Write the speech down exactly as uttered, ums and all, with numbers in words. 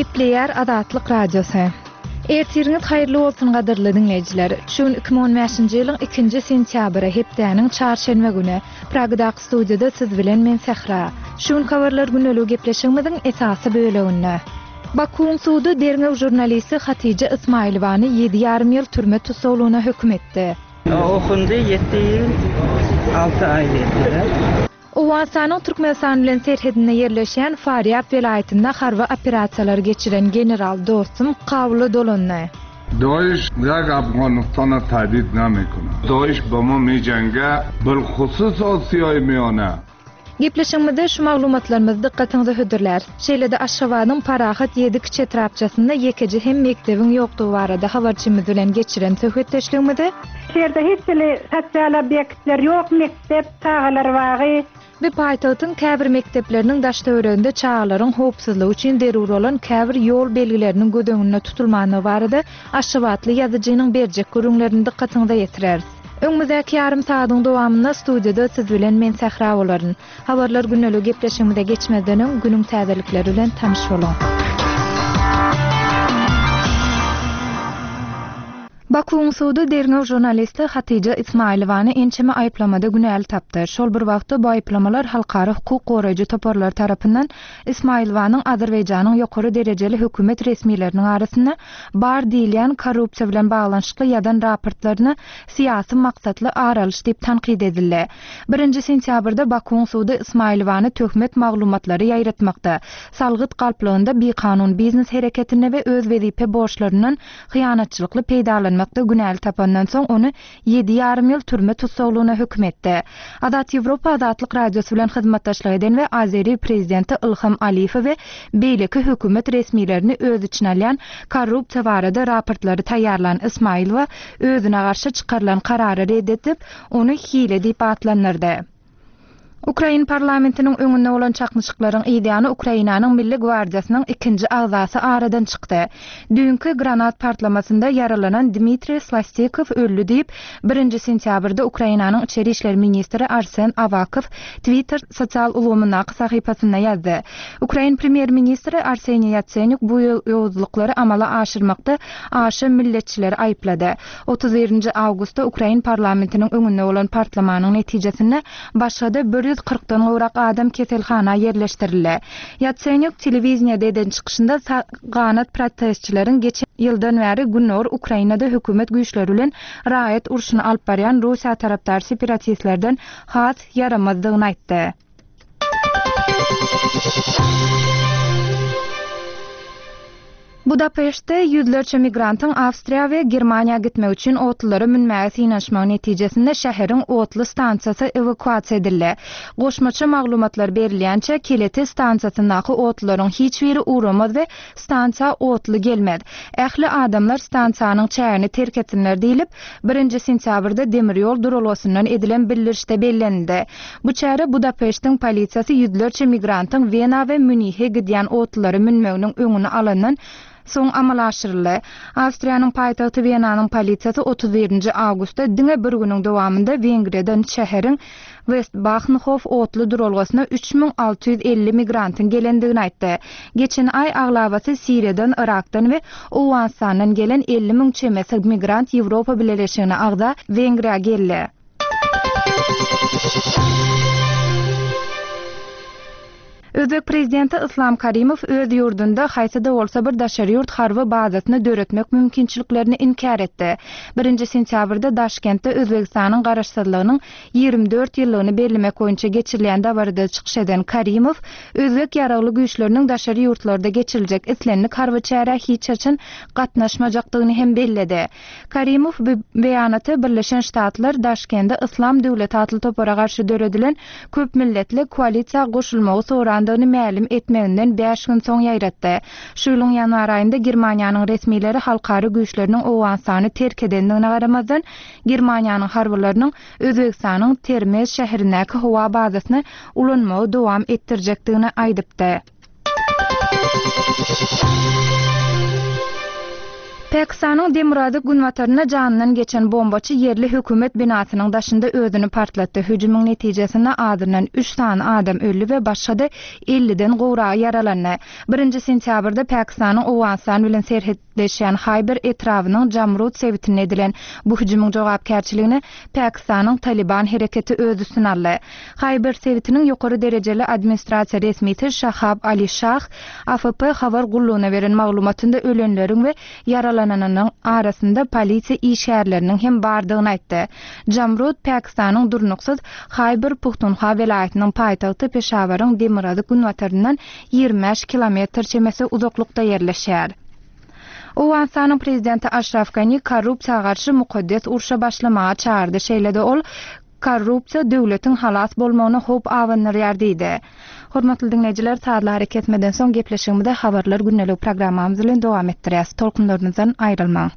Gepleýär Azatlyk Radiosy. Ertiriňiz haýyrly bolsun gadyrly diňleýjiler. Şu gün iki müň on bäşinji ýylyň ikinji sentýabry, hepdäniň çarşenbe güni. Pragadaky studiýada siz bilen men Sähra. Şu gün habarlar güneligi gepleşigimiziň esasy böleginde. Bakuwyň sudy derňew žurnalisti Hatija Ismailowany ýedi ýarym ýyl türme tussaglygyna höküm etdi. Okundy ýedi ýyl alty aý diýdiler. Owganystanyň Türkmenistan bilen serhedinde ýerleşýän Farýab welaýatynda harby operasiýalar geçiren general Dostum Kabula dolandy. Daesh ýa Afganistana tehdit namekuna. Daesh bama meýjenge bilhusus Asiýa miýana. Gepleşigimizde şu maglumatlarymyzy dykgatyňyza hödürläris. Şeýle-de Aşgabadyň Parahat ýedi kiçi etrapçasynda ýekeje hem mekdebiň ýokdugy barada habarçymyz bilen geçiren söhbetdeşligimizi Şu ýerde hiç hili sosial obýektler ýok, mekdep, çagalar bagy. We paýtagtyň käbir mekdepleriniň daş-töwereginde çagalaryň howpsuzlygy üçin zerur bolan käbir ýol belgileriniň göz öňünde tutulmandygy barada Aşgabatly ýazyjynyň berjek gürrüňlerini dykgatyňyza ýetireris. Öňümizdäki ýarym saadyň dowamynda studiýada siz bilen men Sähra bolaryn. Habarlar güneligi gepleşigimize geçmezden öň günüň täzelikleri bilen tanyş boluň. Bakuwyň sudy derňew žurnalisti Hatija Ismailowany ençeme aýyplamada günäli tapdy. Şol bir wagtda bu aýyplamalar halkara hukuk goraýjy toparlar tarapyndan Ismailowanyň Azerbaýjanyň ýokary derejeli hökümet resmileriniň arasynda bar diýilýän korrupsiýa bilen baglanyşykly ýazan raportlaryna syýasy maksatly aralyş diýip tankyt edildi. Birinji sentýabrda Bakuwyň sudy Ismailowany töhmet maglumatlary ýaýratmakda, salgyt galplygynda bikanun biznes hereketinde we öz wezipe borçlaryndan hyýanatçylykly peýdalanmakda günäli tapandan soň ony ýedi ýarym ýyl türme tussaglygyna höküm etdi. Azat Ýewropa Azatlyk Radiosy bilen hyzmatdaşlyk eden we Azeri prezidenti Ilham Aliýew we beýleki hökümet resmilerini öz içine alýan korrupsiýa barada raportlary taýýarlan Ismailowa özüne garşy çykarylan karary red edip, ony hile diýip atlandyrdy. Ukrain parlamentiniň öňünde bolan çaknyşyklaryň ýany Ukrainanyň Milli gwardiýasynyň ikinji agzasy aradan çykdy. Düýnki granat partlamasynda ýaralanan Dmitriý Slastikow öldi diýip, birinji sentýabrda Ukrainanyň içeri işler ministri Arsen Awakow Twitter sosial ulgamyndaky sahypasynda ýazdy. Ukrain premýer-ministri Arseniý Ýatsenýuk bu ýowuzlyklary amala aşyrmakda aşa milletçileri aýyplady. Otuz birinji awgustda Ukrain parlamentiniň öňünde bolan partlamanyň netijesinde başga-da bir ýüz kyrkdan gowrak adam keselhana ýerleşdirildi. Ýatsenýuk telewiziýada eden çykyşynda ganat protestçileriň geçen ýyldan bäri Gündogar Ukrainada hökümet güýçleri bilen raýat urşuny alyp barýan Russiýa tarapdar separatistlerden has ýaramazdygyny aýtdy. Budapeştde ýüzlerçe migrantyň Awstriýa we Germaniýa gitmek üçin otlulara münmäge synanyşmagy netijesinde şäheriň otly stansiýasy ewakuasiýa edildi. Goşmaça maglumatlar berilýänçe Keleti stansiýasyndaky otlularyň hiç biri ugramaz we stansiýa otly gelmez. Ähli adamlar stansiýanyň çägini terk etsinler diýlip, birinji sentýabrda demir ýol duralgasyndan edilen bildirişde bellenildi. Bu çäre Budapeştiň polisiýasy ýüzlerçe migrantyň Wena we Münih'e gidýän otlulara münmeginiň öňüni alandan soň amala aşyryldy. Awstriýanyň paýtagty Wenanyň polisiýasy otuz birinji awgustda diňe bir günüň dowamynda Wengriýadan şäheriň Westbahnhof otly duralgasyna üç müň alty ýüz elli migrantyň gelendigini aýtdy. Geçen aý aglabasy Siriýadan, Irakdan we Owganystandan gelen elli müň çemesi migrant Ýewropa Bileleşigine agza Wengriýa geldi. Özbek prezidenti Islam Karimow öz ýurdunda haýsy-da bolsa bir daşary ýurt harby bazasyny döretmek mümkinçiliklerini inkär etdi. Birinji sentýabrda Daşkentde Özbegistanyň garaşsyzlygynyň ýigrimi dört ýyllygyny bellemek boýunça geçirilýän dabarada çykyş eden Karimow Özbek ýaragly güýçleriniň daşary ýurtlarda geçiriljek islendik harby çärä hiç haçan gatnaşmajakdygyny hem belledi. Karimow bu beýanaty Birleşen Ştatlar Daşkentde Islam döwleti atly topara garşy döredilen köp milletli koalisiýa goşulmagy sorandygyny mälim etmeginden bäş gün soň ýaýratdy. Şu ýylyň ýanwar aýynda Germaniýanyň resmileri halkara güýçleriniň Owganystany terk edendigine garamazdan Germaniýanyň harbylarynyň Özbegistanyň Termez şäherindäki howa bazasyny ulanmagy dowam etdirjekdigini aýdypdy. Pakistanyň demirgazyk günbatarynda janyndan geçen bombaçy ýerli hökümet binasynyň daşynda özüni partlatdy. Hüjümiň netijesinde azyndan üç sany adam öldi we başga-da elliden gowragy ýaralandy. Birinji sentýabrda Pakistanyň Owganystan bilen serhetleşýän Haýber etrabynyň Jamrud sebitinde edilen bu hüjümiň jogapkärçiligini Pakistanyň Taliban hereketi öz üstüne aldy. Haýber sebitiniň ýokary derejeli administrasiýa resmisi Şahab Ali Şah A F P habar gullugyna beren maglumatynda ölenleriň we ýaralananynyň arasynda polisiýa işgärleriniň hem bardygyny aýtdy. Jamrud Pakistanyň durnuksyz Haýber Puhtunha welaýatynyň paýtagty Peşawaryň demirgazyk günbataryndan ýigrimi bäş kilometr çemesi uzaklykda ýerleşýär. Owganystanyň prezidenti Aşraf Gani korrupsiýa garşy mukaddes urşa başlamaga çağırdy. Şeýle-de ol korrupsiýa döwletiň halas bolmagyna howp abandyrýar diýdi. Hormatly dinleýjiler, sazlary kesmeden soň gepleşigimize habarlar gündelik programmamyz bilen dowam etdirýäs. Tolkunlarymyzdan aýrylmaň.